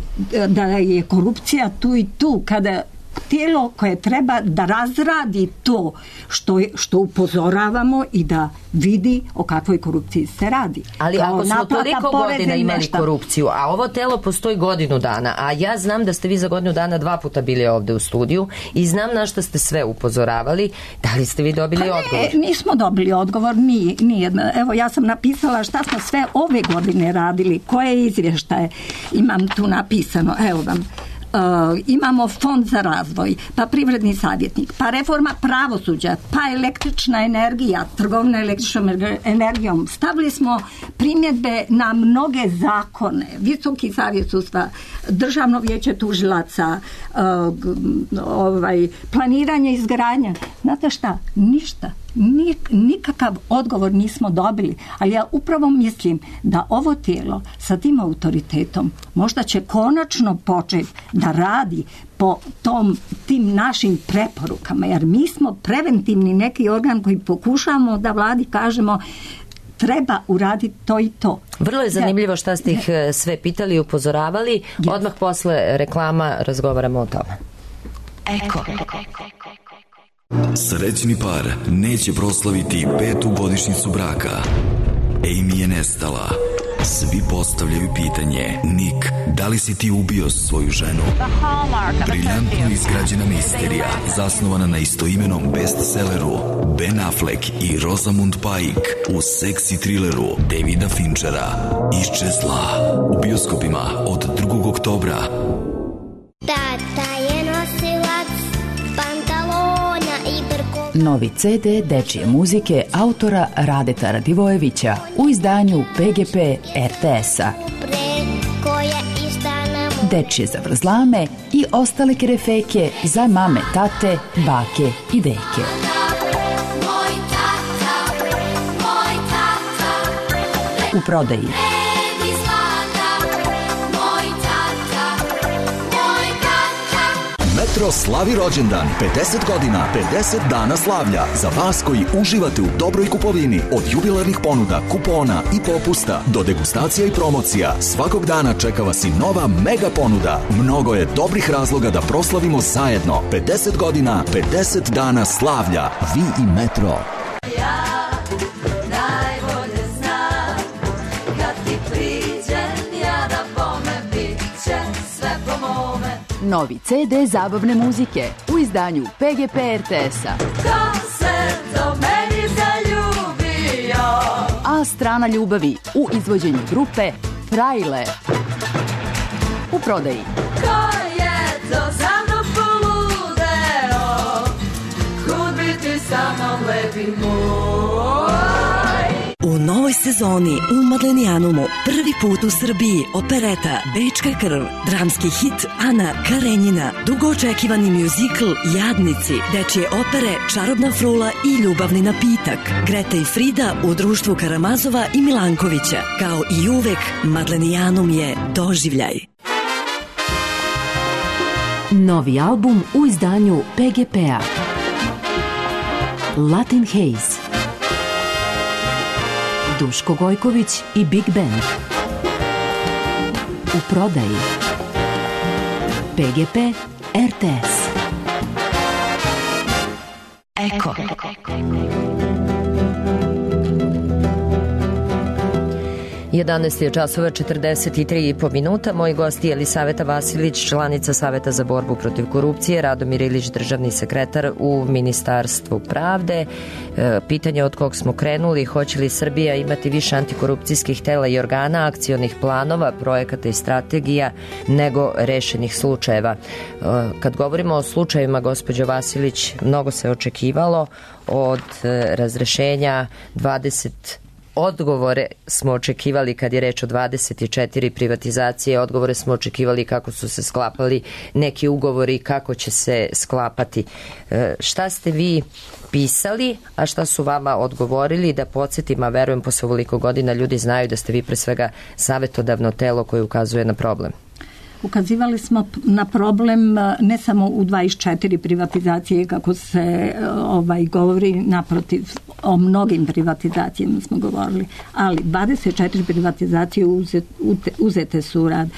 da je korupcija tu i tu, kada tijelo koje treba da razradi to što, što upozoravamo i da vidi o kakvoj korupciji se radi. Ali kao ako smo toliko godina imali korupciju, a ovo telo postoji godinu dana, a ja znam da ste vi za godinu dana dva puta bili ovde u studiju i znam na što ste sve upozoravali, da li ste vi dobili pa odgovor? Ne, nismo dobili odgovor, nije, nije. Evo, ja sam napisala šta smo sve ove godine radili, koje izvještaje imam tu napisano, evo vam. Uh, imamo fond za razvoj, pa privredni savjetnik, pa reforma pravosuđa, pa električna energija, trgovina električnom energijom. Stavili smo primjedbe na mnoge zakone, Visoki savjet sudstva, Državno vijeće tužilaca, uh, ovaj, planiranje izgradnja. Znate šta? Ništa. Nik, nikakav odgovor nismo dobili, ali ja upravo mislim da ovo tijelo sa tim autoritetom možda će konačno početi da radi po tom, tim našim preporukama, jer mi smo preventivni neki organ koji pokušamo da vladi kažemo treba uraditi to i to. Vrlo je zanimljivo šta ste ih sve pitali i upozoravali. Yes. Odmah posle reklama razgovaramo o tome. Eko. Srećni par neće proslaviti petu godišnjicu braka. Amy je nestala. Svi postavljaju pitanje: Nick, da li si ti ubio svoju ženu? Briljantno izgrađena misterija, zasnovana na istoimenom bestselleru Ben Affleck i Rosamund Pike u seksi trileru Davida Finchera Iščezla, u bioskopima od drugog oktobra. Tata je nosilac pantalona i brko. Novi ce de dečije muzike autora Radeta Radivojevića u izdanju pe ge pe er te es-a. Dečije zavrzlame i ostale kerefeke za mame, tate, bake i deke. U prodaji Metro slavi rođendan, pedeset godina, pedeset dana slavlja. Za vas koji uživate u dobroj kupovini, od jubilarnih ponuda, kupona i popusta do degustacija i promocija, svakog dana čeka vas i nova mega ponuda. Mnogo je dobrih razloga da proslavimo zajedno. pedeset godina, pedeset dana slavlja. Vi i Metro. Ja najbolje znam, kad ti priđem, ja da bome bit će sve po mome. Novi ce de zabavne muzike u izdanju pe ge pe er te es-a. Ko se do meni zaljubio? A strana ljubavi u izvođenju grupe Frajle. U prodaji Ko je to za mnom poludeo? Kud bi ti sa mnom lepi moj? U novoj sezoni u Madlenijanumu prvi put u Srbiji opereta Bečka krv, dramski hit Ana Karenjina, dugo očekivani mjuzikl Jadnici, dečje opere Čarobna frula i Ljubavni napitak, Greta i Frida u društvu Karamazova i Milankovića. Kao i uvek, Madlenijanum je doživljaj. Novi album u izdanju pe ge pe-a. Latin Haze. Duško Gojković i Big Band. U prodaji pe ge pe er te es. Eko. jedanaest je časova četrdeset tri i po minuta. Moji gosti je Elisaveta Vasilić, članica Saveta za borbu protiv korupcije, Radomir Ilić, državni sekretar u Ministarstvu pravde. E, pitanje od kog smo krenuli, hoće li Srbija imati više antikorupcijskih tela i organa, akcionih planova, projekata i strategija nego rešenih slučajeva. E, kad govorimo o slučajevima, gospođo Vasilić, mnogo se očekivalo od e, razrešenja dvadeset Odgovore smo očekivali kad je reč o dvadeset četiri privatizacije, odgovore smo očekivali kako su se sklapali neki ugovori i kako će se sklapati. E, šta ste vi pisali, a šta su vama odgovorili, da podsjetim, a verujem posle ovoliko godina ljudi znaju da ste vi pre svega savetodavno telo koje ukazuje na problem. Ukazivali smo na problem ne samo u dvadeset četiri privatizacije kako se ovaj govori, naprotiv, o mnogim privatizacijama smo govorili, ali dvadeset četiri privatizacije uzete, uzete su u rad.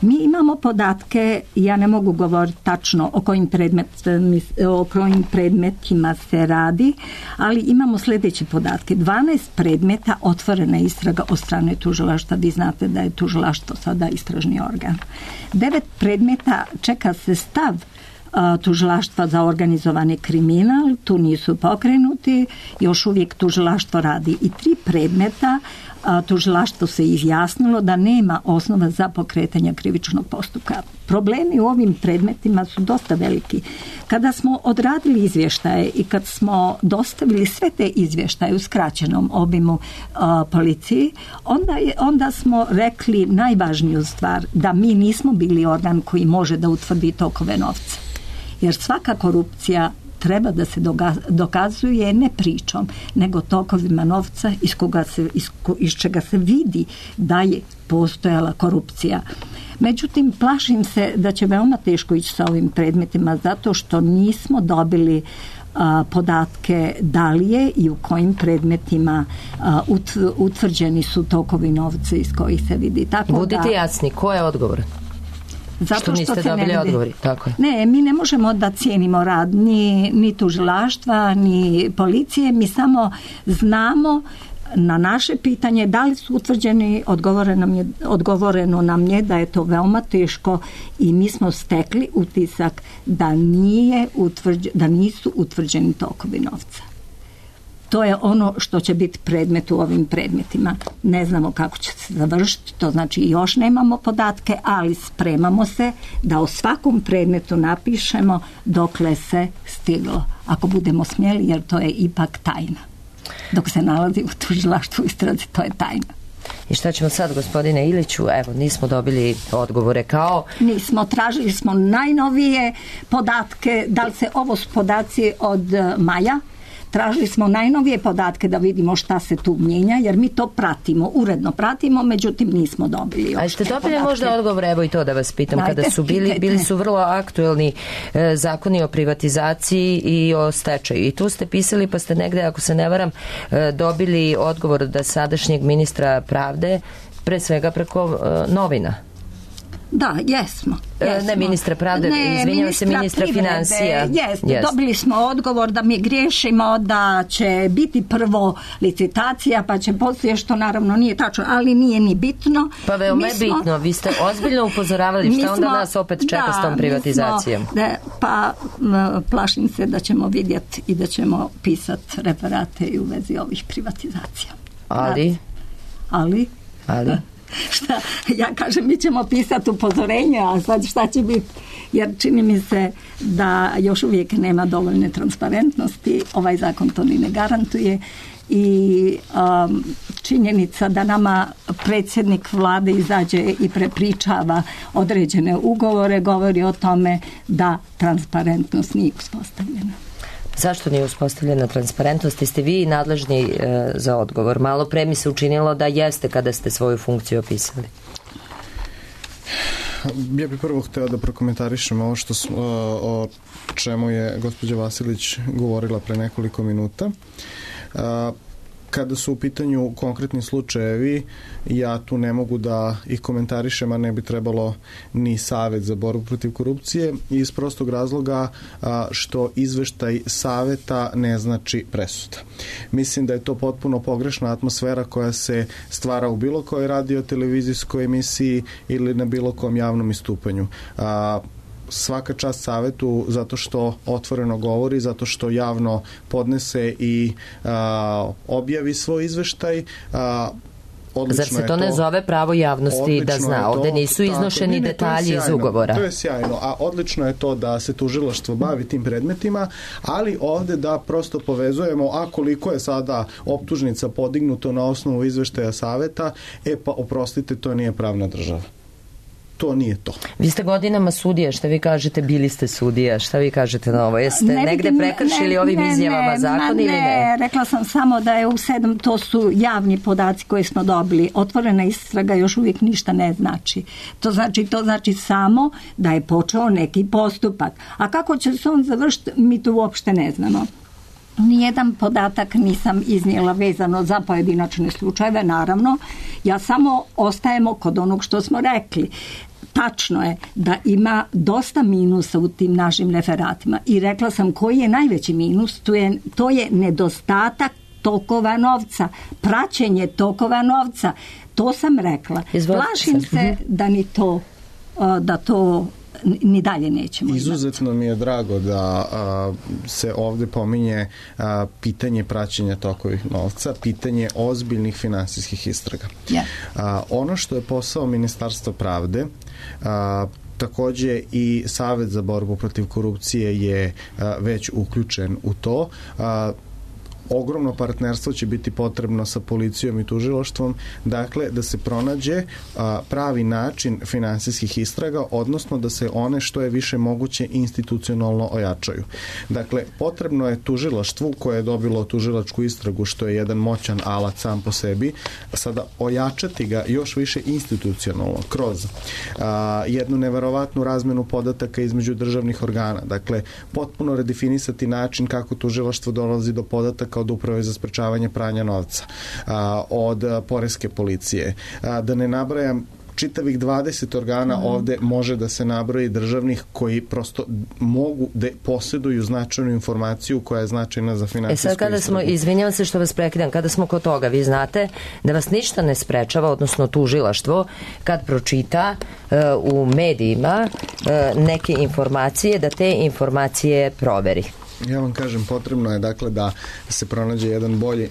Mi imamo podatke, ja ne mogu govoriti tačno o kojim, predmet, o kojim predmetima se radi, ali imamo sljedeće podatke. dvanaest predmeta otvorena istraga od strane tužilaštva. Vi znate da je tužilaštvo sada istražni organ. Devet predmeta čeka se stav a, tužilaštva za organizovani kriminal, tu nisu pokrenuti, još uvijek tužilaštvo radi. I tri predmeta a, tužilaštvo se izjasnilo da nema osnova za pokretanje krivičnog postupka. Problemi u ovim predmetima su dosta veliki. Kada smo odradili izvještaje i kad smo dostavili sve te izvještaje u skraćenom obimu a, policiji, onda, je, onda smo rekli najvažniju stvar, da mi nismo bili organ koji može da utvrdi tokove novca. Jer svaka korupcija treba da se dokazuje ne pričom, nego tokovima novca iz, koga se, iz, iz čega se vidi da je postojala korupcija. Međutim, plašim se da će veoma teško ići sa ovim predmetima zato što nismo dobili a, podatke da li je i u kojim predmetima a, ut, utvrđeni su tokovi novca iz kojih se vidi. Tako Budite da, jasni, ko je odgovoran? Zato što niste što dobili odgovori, tako je. Ne, mi ne možemo da cijenimo rad ni, ni tužilaštva, ni policije, mi samo znamo na naše pitanje da li su utvrđeni, odgovoreno nam je, odgovoreno nam je da je to veoma teško i mi smo stekli utisak da, nije utvrđ, da nisu utvrđeni tokovi novca. To je ono što će biti predmet u ovim predmetima. Ne znamo kako će se završiti, to znači još nemamo podatke, ali spremamo se da o svakom predmetu napišemo dokle se stiglo. Ako budemo smjeli, jer to je ipak tajna. Dok se nalazi u tužilaštvu istrazi, to je tajna. I šta ćemo sad, gospodine Iliću? Evo, nismo dobili odgovore kao... Nismo, tražili smo najnovije podatke, da li se ovo su podaci od maja. Tražili smo najnovije podatke da vidimo šta se tu mijenja, jer mi to pratimo, uredno pratimo, međutim nismo dobili. A ste dobili podatke? Možda odgovor, evo i to da vas pitam, Dajte, kada su bili, pitajte. bili su vrlo aktuelni e, zakoni o privatizaciji i o stečaju. I tu ste pisali, pa ste negde, ako se ne varam, e, dobili odgovor da sadašnjeg ministra pravde, pre svega preko e, novina. Da, jesmo. jesmo. Ne ministra pravde, izvinjava se ministra financija. Jeste, yes. Dobili smo odgovor da mi griješimo, da će biti prvo licitacija, pa će poslije, što naravno nije tačno, ali nije ni bitno. Pa veoma je bitno, vi ste ozbiljno upozoravali, šta onda nas opet čeka da, s tom privatizacijom? Smo, da, pa m, plašim se da ćemo vidjeti i da ćemo pisati referate i u vezi ovih privatizacija. Ali? Ali? Ali? Šta, ja kažem, mi ćemo pisati upozorenje, a sad šta će biti, jer čini mi se da još uvijek nema dovoljne transparentnosti, ovaj zakon to ni ne garantuje i um, činjenica da nama predsjednik vlade izađe i prepričava određene ugovore govori o tome da transparentnost nije uspostavljena. Zašto nije uspostavljena transparentnost? Ste vi nadležni e, za odgovor? Malo pre mi se učinilo da jeste kada ste svoju funkciju opisali. Ja bih prvo hteo da prokomentarišem ovo što smo, o čemu je gospođa Vasilić govorila pre nekoliko minuta. Kada su u pitanju konkretni slučajevi, ja tu ne mogu da ih komentarišem, a ne bi trebalo ni Savet za borbu protiv korupcije, iz prostog razloga a, što izveštaj Saveta ne znači presuda. Mislim da je to potpuno pogrešna atmosfera koja se stvara u bilo kojoj radio, televizijskoj emisiji ili na bilo kom javnom istupanju. A, svaka čast Savetu zato što otvoreno govori, zato što javno podnese i a, objavi svoj izveštaj. A, Zar se to ne zove pravo javnosti da zna? Ovde nisu iznošeni tako, detalji iz ugovora. To je sjajno, a odlično je to da se tužilaštvo bavi tim predmetima, ali ovde da prosto povezujemo, a koliko je sada optužnica podignuto na osnovu izveštaja Saveta, e pa oprostite, to nije pravna država. To nije to. Vi ste godinama sudija, šta vi kažete, bili ste sudija, šta vi kažete na ovo? Jeste ne negde vidim, prekršili ne, ovim ne, izjavama zakon ili ne? Ne, rekla sam samo da je u sedam, to su javni podaci koje smo dobili. Otvorena istraga još uvijek ništa ne znači. To znači, to znači samo da je počeo neki postupak. A kako će se on završiti, mi to uopšte ne znamo. Nijedan podatak nisam iznijela vezano za pojedinačne slučajeve, naravno. Ja samo ostajemo kod onog što smo rekli. Tačno je da ima dosta minusa u tim našim referatima i rekla sam koji je najveći minus, to je, to je nedostatak tokova novca, praćenje tokova novca. To sam rekla. Izvolite. Plašim se da ni to, da to ni dalje nećemo. Izuzetno imati. Mi je drago da a, se ovde pominje a, pitanje praćenja tokovih novca, pitanje ozbiljnih finansijskih istraga. Yeah. A, ono što je posao Ministarstva pravde, a, takođe i Savet za borbu protiv korupcije je a, već uključen u to. A, ogromno partnerstvo će biti potrebno sa policijom i tužilaštvom, dakle da se pronađe a, pravi način finansijskih istraga, odnosno da se one što je više moguće institucionalno ojačaju. Dakle, potrebno je tužilaštvu koje je dobilo tužilačku istragu, što je jedan moćan alat sam po sebi, sada ojačati ga još više institucionalno kroz a, jednu neverovatnu razmenu podataka između državnih organa. Dakle, potpuno redefinisati način kako tužilaštvo dolazi do podataka od Uprave za sprečavanje pranja novca, a, od poreske policije. A, da ne nabrajam čitavih dvadeset organa mm. ovde može da se nabroji državnih koji prosto mogu da posjeduju značajnu informaciju koja je značajna za finansijsku istragu. E sad kada smo, izvinjavam se što vas prekidam, kada smo kod toga, vi znate da vas ništa ne sprečava, odnosno tužilaštvo, kad pročita uh, u medijima uh, neke informacije, da te informacije proveri. Ja vam kažem, potrebno je dakle da se pronađe jedan bolji e,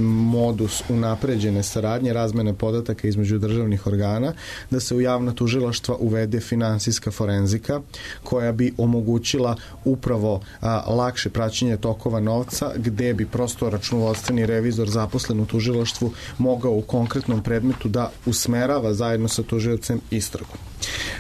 modus unapređene saradnje, razmene podataka između državnih organa, da se u javna tužilaštva uvede finansijska forenzika koja bi omogućila upravo a, lakše praćenje tokova novca, gde bi prosto računovodstveni revizor zaposlen u tužilaštvu mogao u konkretnom predmetu da usmerava zajedno sa tužiocem istragu.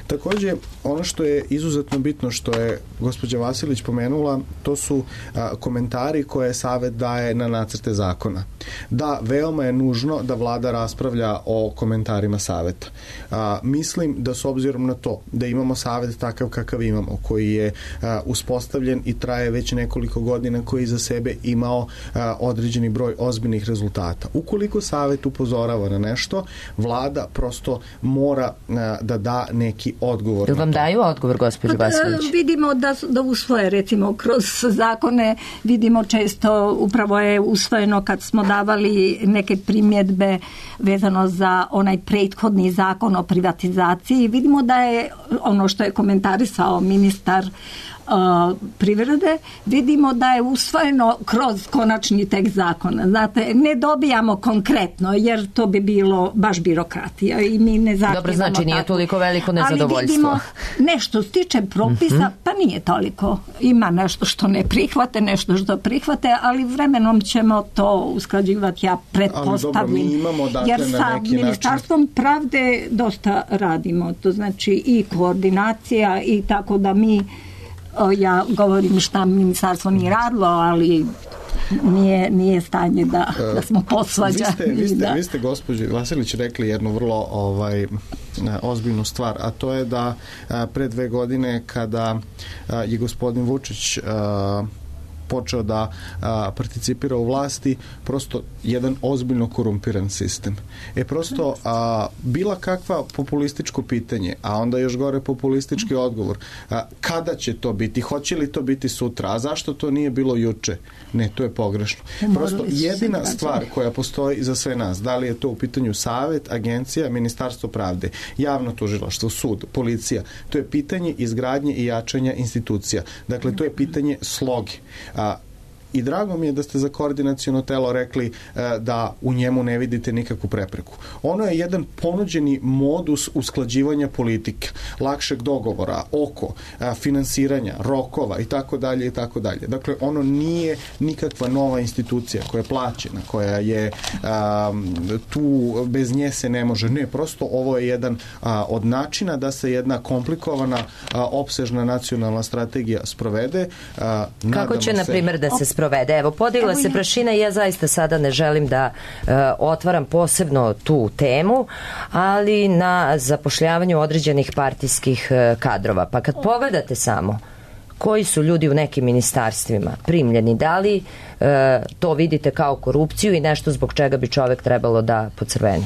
Takođe, ono što je izuzetno bitno, što je gospođa Vasilić pomenula, to su a, komentari koje Savet daje na nacrte zakona. Da, veoma je nužno da vlada raspravlja o komentarima Saveta. A, mislim da s obzirom na to da imamo Savet takav kakav imamo, koji je a, uspostavljen i traje već nekoliko godina, koji za sebe imao a, određeni broj ozbiljnih rezultata. Ukoliko Savet upozorava na nešto, vlada prosto mora a, da da neki odgovor. Jel vam daju odgovor, gospođo Vasilić? Vidimo da, da usvoje, recimo, kroz zakone, vidimo često, upravo je usvojeno kad smo davali neke primjedbe vezano za onaj prethodni zakon o privatizaciji. Vidimo da je ono što je komentarisao ministar Uh, privrede, vidimo da je usvojeno kroz konačni tekst zakona. Znate, ne dobijamo konkretno, jer to bi bilo baš birokratija i mi ne zahtjevamo. Dobro, znači nije tako. Toliko veliko nezadovoljstvo. Ali vidimo nešto stiče propisa, uh-huh. pa nije toliko. Ima nešto što ne prihvate, nešto što prihvate, ali vremenom ćemo to usklađivati, ja pretpostavljam. Ali dobro, mi imamo dakle jer na sa neki Ministarstvom način... pravde dosta radimo. To znači i koordinacija i tako da mi ja govorim šta ministarstvo nije radilo, ali nije, nije stanje da, da smo posvađani. Vi ste, vi ste, da. vi ste gospođi Vasilić rekli jednu vrlo ovaj, ozbiljnu stvar, a to je da a, pre dve godine kada a, je gospodin Vučić a, počeo da a, participira u vlasti, prosto jedan ozbiljno korumpiran sistem. E prosto a, bila kakva populističko pitanje, a onda još gore populistički odgovor, a, kada će to biti, hoće li to biti sutra, a zašto to nije bilo juče? Ne, to je pogrešno. Prosto jedina stvar koja postoji za sve nas, da li je to u pitanju savet, agencija, ministarstvo pravde, javno tužilaštvo, sud, policija, to je pitanje izgradnje i jačanja institucija. Dakle, to je pitanje sloge. A, I drago mi je da ste za koordinaciono telo rekli e, da u njemu ne vidite nikakvu prepreku. Ono je jedan ponuđeni modus usklađivanja politike, lakšeg dogovora, oko, a, finansiranja, rokova i tako dalje i tako dalje. Dakle, ono nije nikakva nova institucija koja je plaćena, koja je a, tu, bez nje se ne može. Ne, prosto ovo je jedan a, od načina da se jedna komplikovana, a, opsežna nacionalna strategija sprovede. A, Kako će, na primjer, da se sprovede? Evo, podigla Evo se prašina i ja zaista sada ne želim da uh, otvaram posebno tu temu, ali na zapošljavanju određenih partijskih uh, kadrova. Pa kad pogledate samo koji su ljudi u nekim ministarstvima primljeni, da li uh, to vidite kao korupciju i nešto zbog čega bi čovek trebalo da pocrveni?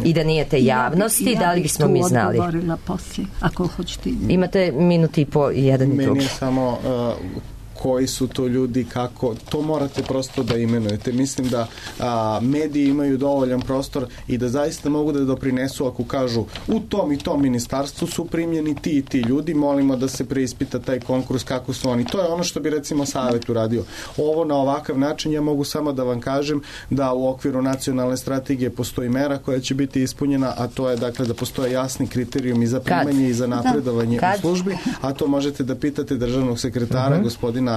I da nije te javnosti, ja bi, ja da li bismo mi znali? Ja bih tu odgovorila poslije, ako hoćete. Imate minuti i po jedan i drugi. Meni je samo... Uh, koji su to ljudi, kako, to morate prosto da imenujete. Mislim da a, mediji imaju dovoljan prostor i da zaista mogu da doprinesu ako kažu u tom i tom ministarstvu su primljeni ti i ti ljudi, molimo da se preispita taj konkurs kako su oni. To je ono što bi recimo savet uradio. Ovo na ovakav način ja mogu samo da vam kažem da u okviru nacionalne strategije postoji mera koja će biti ispunjena, a to je dakle da postoje jasni kriterijumi za primanje i za napredovanje u službi, a to možete da pitate državnog sekretara, uh-huh. gospodina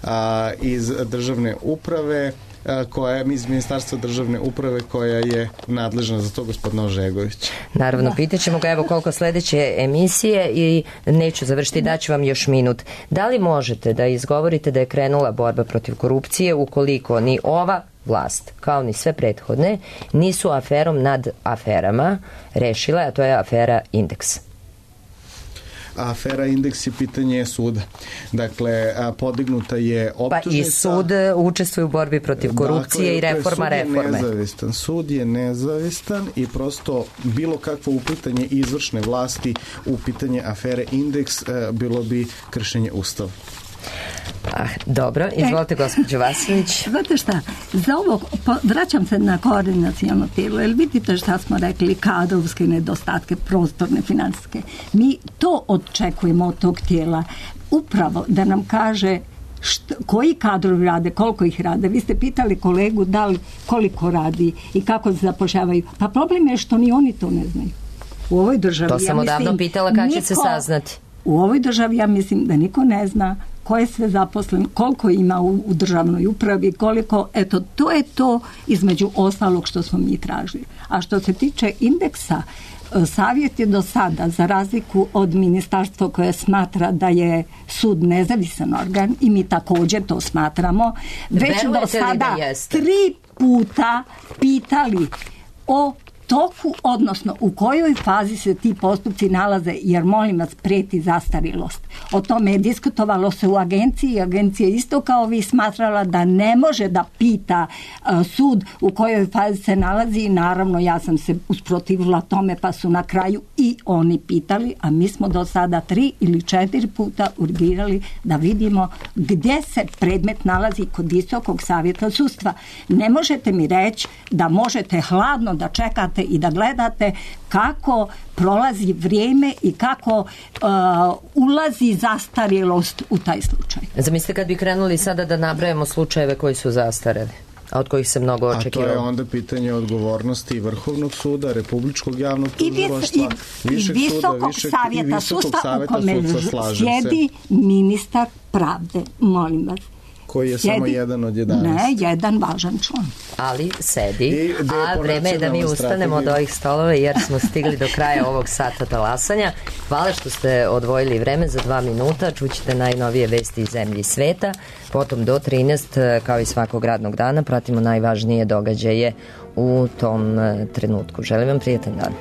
A, iz državne uprave a, koja je iz ministarstva državne uprave koja je nadležna za to, gospodina Ožegović. Naravno, pitaćemo ga evo koliko sledeće emisije i neću završiti, daću vam još minut. Da li možete da izgovorite da je krenula borba protiv korupcije ukoliko ni ova vlast, kao ni sve prethodne, nisu aferom nad aferama rešile, a to je afera Indeks? Afera Indeks je pitanje suda. Dakle, podignuta je optužnica. Pa i sud učestvuje u borbi protiv korupcije dakle, i reforma reforme. Sud je nezavistan. Sud je nezavistan i prosto bilo kakvo uplitanje izvršne vlasti u pitanje afere Indeks bilo bi kršenje Ustava. Ah, dobro, izvolite gospođo Vasiljević. Znate šta, za ovo, po, vraćam se na koordinaciono tijelo, jer vidite šta smo rekli, kadrovske nedostatke, prostorne, finansijske. Mi to očekujemo od tog tijela, upravo da nam kaže Što, koji kadrovi rade, koliko ih rade. Vi ste pitali kolegu da li koliko radi i kako se zapošljavaju. Pa problem je što ni oni to ne znaju. U ovoj državi, to sam ja odavno mislim, pitala kad niko, će se saznati. U ovoj državi ja mislim da niko ne zna ko je sve zaposlen, koliko ima u, u državnoj upravi, koliko, eto, to je to između ostalog što smo mi tražili. A što se tiče Indeksa, savjet je do sada, za razliku od ministarstva koje smatra da je sud nezavisan organ i mi također to smatramo, već Verujete do sada da tri puta pitali o toku, odnosno u kojoj fazi se ti postupci nalaze, jer molim vas preti zastarilost. O tome je diskutovalo se u agenciji i agencija isto kao vi smatrala da ne može da pita uh, sud u kojoj fazi se nalazi i naravno ja sam se usprotivila tome pa su na kraju i oni pitali, a mi smo do sada tri ili četiri puta urgirali da vidimo gdje se predmet nalazi kod Visokog savjeta sudstva. Ne možete mi reći da možete hladno da čekate i da gledate kako prolazi vrijeme i kako uh, ulazi zastarjelost u taj slučaj. Zamislite kad bi krenuli sada da nabrajamo slučajeve koji su zastareli, a od kojih se mnogo očekivalo. A to je onda pitanje odgovornosti i Vrhovnog suda, Republičkog javnog tužilaštva, Višeg suda, Višeg i Visokog savjeta sudstva, sjedi ministar pravde, molim vas. Koji je sjedi, samo jedan od jedanaest. Ne, jedan važan član. Ali sedi, a vreme je da mi ustanemo od ovih stolova jer smo stigli do kraja ovog sata talasanja. Hvala što ste odvojili vreme za dva minuta. Čućete najnovije vesti iz zemlje i sveta. Potom do trinaest, kao i svakog radnog dana, pratimo najvažnije događaje u tom trenutku. Želim vam prijatan dan.